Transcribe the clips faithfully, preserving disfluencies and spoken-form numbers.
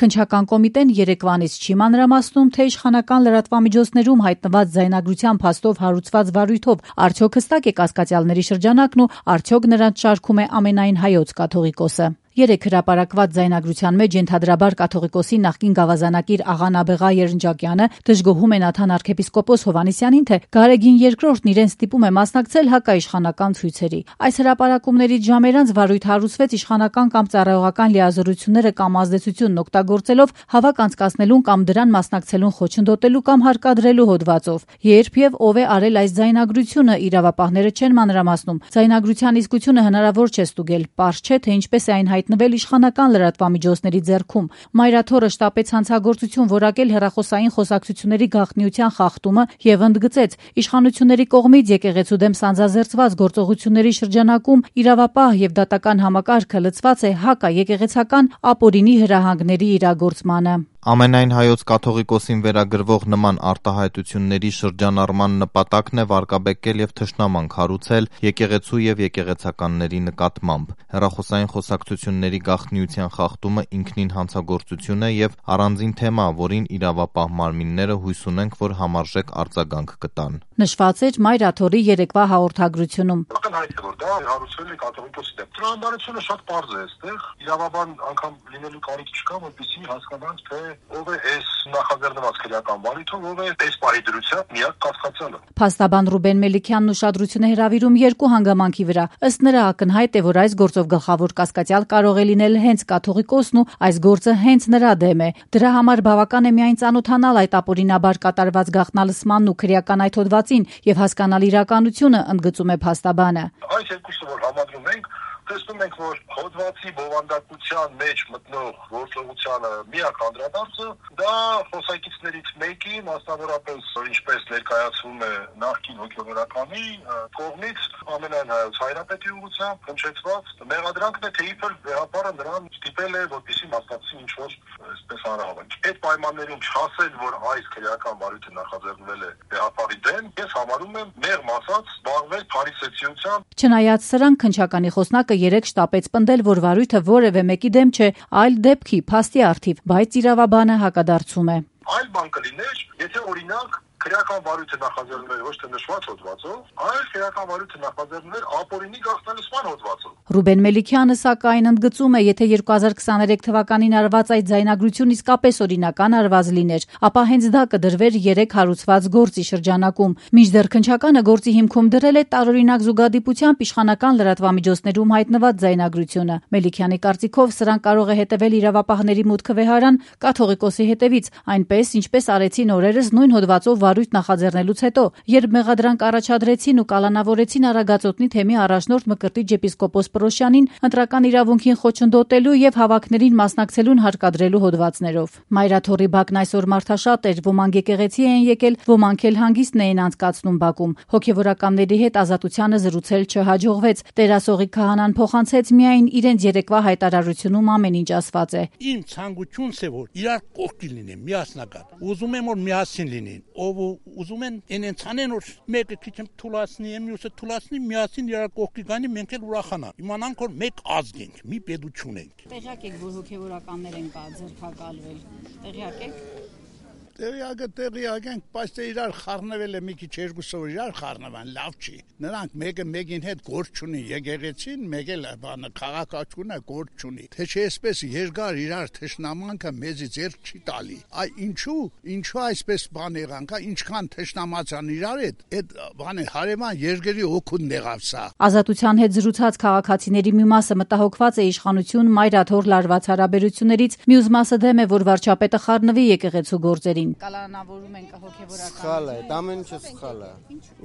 Քննչական կոմիտեն երեկվանից չի մանրամասնում, թե իշխանական լրատվամիջոցներում հայտնված ձայնագրության փաստով հարուցված վարույթով արդյոք հստակ է կասկածյալների շրջանակն ու արդյոք նրանց շարքում է ամենայն հայոց կաթողիկոսը։ Երեք հրապարակված ձայնագրության մեջ ենթադրաբար կաթողիկոսի նախկին գավազանակիր աղա Նաբեղա Երնջակյանը դժգոհում է Նաթան arczepiskopos Հովհաննիսյանին, թե Գարեգին երկրորդն իրեն ստիպում է մասնակցել հակաիշխանական ցույցերի։ Այս հրապարակումներից ժամեր անց վարույթ հարուցվեց իշխանական կամ ծառայողական լիազորությունները կամ ազդեցությունն օգտագործելով հավաք անցկացնելուն կամ դրան մասնակցելուն խոչընդոտելու կամ հարկադրելու հոդվածով։ Երբ եւ ով է արել այս ձայնագրությունը, իրավապահները չեն մանրամասնում։ Ձայնագրության իսկությունը հնարավոր չէ ստուգել, պարզ չէ, թե ինչպես է այն հայտնվել իշխանական լրատվամիջոցների ձեռքում։ Մայրաթորը շտապեց հանցագործություն որակել հեռախոսային խոսակցությունների գաղտնիության խախտումը եւ ընդգծեց իշխանությունների կողմից եկեղեցու դեմ սանձազերծված գործողությունների շրջանակում իրավապահ եւ դատական համակարգը լցված է հակաեկեղեցական ապօրինի հրահանգների իրագործմանը։ Ամենայն հայոց կաթողիկոսին վերագրվող նման արտահայտությունների շրջանառման նպատակն է վարկաբեկել եւ թշնամանք հարուցել եկեղեցու եւ եկեղեցականների նկատմամբ։ Հեռախոսային խոսակցությունների գաղտնիության խախտումը ինքնին հանցագործություն է եւ առանձին թեմա, որին իրավապահ մարմինները հույս ունենք, որ համարժեք արձագանք կտան։ Նշված էր Մայրաթորի երեկվա հաղորդագրությունում։ Ակնհայտ է, որ դա հարուցվել է կաթողիկոսի դեմ։ Տրամաբանությունը շատ պարզ է այստեղ։ Իրավաբան անգամ լինելու կարիք չկա, որպեսզի հասկանանք, թե ով է այս նախաձեռնված քրեական վարույթով, ով է այս պահի դրությամբ միակ կասկածյալը։ Փաստաբան Ռուբեն Մելիքյանն ուշադրություն է հրավիրում երկու հանգամանքի վրա։ Ըստ նրա ակնհայտ է, որ այս գործով գլխավոր կասկածյալ կարող է լինել հենց կաթողիկոսն ու այս գործը հենց նրա դեմ է։ Դրա համար բավական է միայն ծանոթանալ այդ ապօրինաբար կատարված գաղտնալսմանն ու քրեական այդ հոդվածին եւ հասկանալ իրականությունը, ընդգծում է փաստաբանը։ Այս երկուսը որ համադրում ենք, տեսնում ենք, որ հոդվածի բովանդակության մեջ մտնող գործողությանը միակ անդրադարձը դա խոսակիցներից մեկի, մասնավորապես ինչպես ներկայացվում է նախկին հոգևորականի կողմից ամենայն հայոց հայրապետի ուղղությամբ հնչեցված մեղադրանքն է, թե իբր վեհապարը նրան ստիպել է, որպեսզի մասնակցի ինչ-որ այսպես հանրահավաք։ Այդ պայմաններում չասել, որ այս քրեական վարույթը նախաձեռնվել է վեհապարի դեմ, ես համարում եմ մեղմ ասած զբաղվել փարիսեցիությամբ։ Չնայած սրան, քննչականի խոսնակը երեք շտապեց պնդել, որ վարույթը որևէ մեկի դեմ չէ, այլ դեպքի փաստի առթիվ, բայց իրավաբանը հակադարձում է։ Այլ բան կլիներ, եթե օրինակ քրեական վարույթը նախաձեռնվել ոչ թե նշված հոդվածով, այլ քրեական վարույթը նախաձեռնվել ապօրինի գաղտնալսման հոդվածով։ Ռուբեն Մելիքյանը սակայն ընդգծում է, եթե երկու հազար քսաներեք թվականին արված այդ ձայնագրություն իսկապես օրինական արված լիներ, ապա հենց դա կդրվեր երեք հարուցված գործի շրջանակում։ Մինչդեռ քննչականը գործի հիմքում դրել է տարօրինակ զուգադիպությամբ իշխանական լրատվամիջոցներում հայտնված ձայնագրությունը։ Մելիքյանի կարծիքով սրան կարող է հետևել իրավապահների մուտքը վեհարան կաթողիկոսի հետևից, այնպես ինչպես արեցին օրերս նույն հոդվածով վարույթ նախաձեռնելուց հետո, երբ մեղադրանք առաջադրեցին ու կալանավորեցին Արագածոտնի թեմի առաջնորդ Մկրտիչ եպիսկոպոս Պրոշյանին ընտրական իրավունքին խոչընդոտելու եւ հավաքներին մասնակցելուն հարկադրելու հոդվածներով։ Մայրաթորի բակն այսօր մարդաշատ էր, ոմանք եկեղեցի էին եկել, ոմանք էլ հանգիստն էին անցկացնում բակում։ Հոգևորականների հետ ազատությանը զրուցել չհաջողվեց։ Տերասողի քահանան փոխանցեց միայն իրենց երեկվա հայտարարությունում ամեն ինչ ասված է։ Իմ ցանկությունս է, որ իրար կողքի լինեն, միասնական։ Ուզում եմ որ միասին լինեն, ով ուզում են այնց անեն, որ մեկը քիչ թուլացնի, մյուսը թուլացնի, միասին իրար կողքի գանի, մենք էլ ուրախանանք։ Իմանանք որ մեկ ազգ ենք, մի պետություն ենք։ Տեղյակ եք, որ հոգևորականներ են կա ձերբակալվել։ Տեղյակ եք։ Տեղյակը տեղյակ ենք, բայց թե իրար խառնվել է մի քիչ երկուսով իրար խառնվան, լավ չի։ Նրանք մեկը մեկին հետ գործ չունի, եկեղեցին, մեկ էլ բանը քաղաքացիությունը գործ չունի։ Թե չէ այսպես երկար իրար թշնամանքը մեզի ձեռք չի տալի։ Այ ինչու, ինչու այսպես բան եղան, կա ինչքան թշնամացան իրար հետ, այդ բանը հարևան երկրի օգուտն եղավ սա։ Ազատության հետ զրուցած քաղաքացիների մի մասը մտահոգված է իշխանություն Մայրաթոր լարված հարաբերություններից, մյուս մասը դեմ է, որ վարչապետը խառնվի եկեղեցու գործերին։ Կալանավորում են հոգևորական։ Սխալ է, դա ամեն ինչը սխալ է։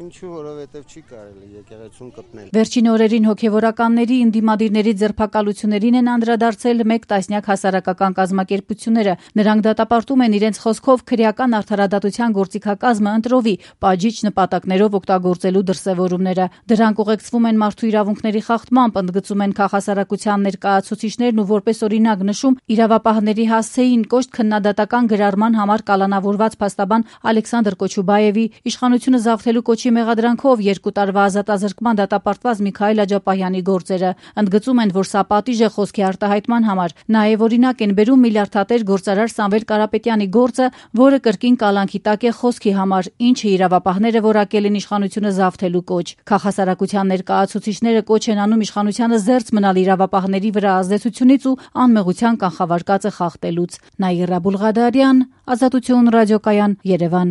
Ինչու, որովհետև չի կարելի եկեղեցուն կպնել։ Վերջին օրերին հոգևորականների ընդդիմադիրների ձերբակալություններին են անդրադարձել մեկ տասնյակ հասարակական կազմակերպությունները։ Նրանք դատապարտում են իրենց խոսքով քրեական արդարադատության գործիքակազմը ընտրովի պաջիչ նպատակներով օգտագործելու դրսևորումները։ Դրանք ուղեկցվում են մարդու իրավունքների խախտմամբ, ընդգծում են քաղաքասարակության ներկայացուցիչներն ու որպես օրինակ նշում իրավապահների հասցեին կոշտ քննադատական գրառման համար կալանավորել պլանավորված փաստաբան Ալեքսանդր Կոչուբաևի, իշխանությունը զավթելու կոչի մեղադրանքով երկու տարվա ազատազրկման դատապարտված Միքայել Աջապահյանի գործերը։ Ընդգծում են, որ սա պատիժ է խոսքի արտահայտման համար։ Նաև օրինակ են բերում միլիարդատեր գործարար Սամվել Կարապետյանի գործը, որը կրկին կալանքի տակ է խոսքի համար, ինչը իրավապահները որակել են իշխանությունը զավթելու կոչ։ Քաղաքասարակության ներկայացուցիչները կոչ են անում իշխանությանը զերծ մնալ իրավապահների վրա ազդեցությունից ու անմեղության կանխավարկածը խախտելուց։ Նաիրա Բուլղադարյան, Ազատություն ռադիոկայան, Երևան։